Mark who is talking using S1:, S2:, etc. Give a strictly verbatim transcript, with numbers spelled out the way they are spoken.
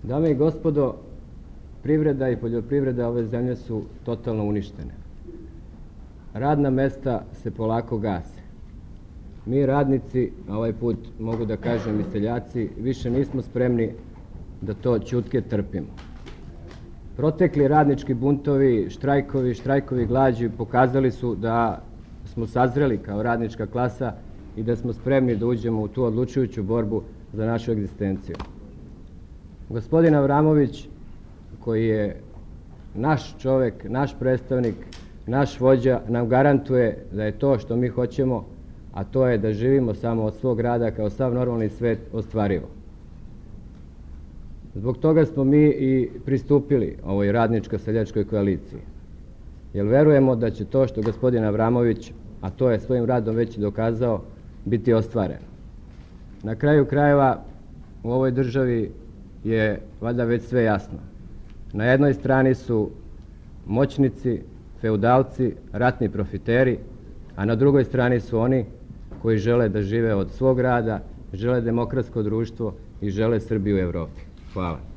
S1: Dame i gospodo, privreda i poljoprivreda ove zemlje su totalno uništene. Radna mesta se polako gase. Mi radnici, a ovaj put mogu da kažem i seljaci, više nismo spremni da to ćutke trpimo. Protekli radnički buntovi, štrajkovi, štrajkovi glađu pokazali su da smo sazreli kao radnička klasa i da smo spremni da uđemo u tu odlučujuću borbu za našu egzistenciju. Gospodin Avramović, koji je naš čovek, naš predstavnik, naš vođa, nam garantuje da je to što mi hoćemo, a to je da živimo samo od svog rada kao sav normalni svet, ostvarivo. Zbog toga smo mi i pristupili ovoj radničko-seljačkoj koaliciji, jer verujemo da će to što gospodin Avramović, a to je svojim radom već dokazao, biti ostvareno. Na kraju krajeva u ovoj državi je valjda već sve jasno. Na jednoj strani su moćnici, feudalci, ratni profiteri, a na drugoj strani su oni koji žele da žive od svog rada, žele demokratsko društvo i žele Srbiju u Evropi. Hvala.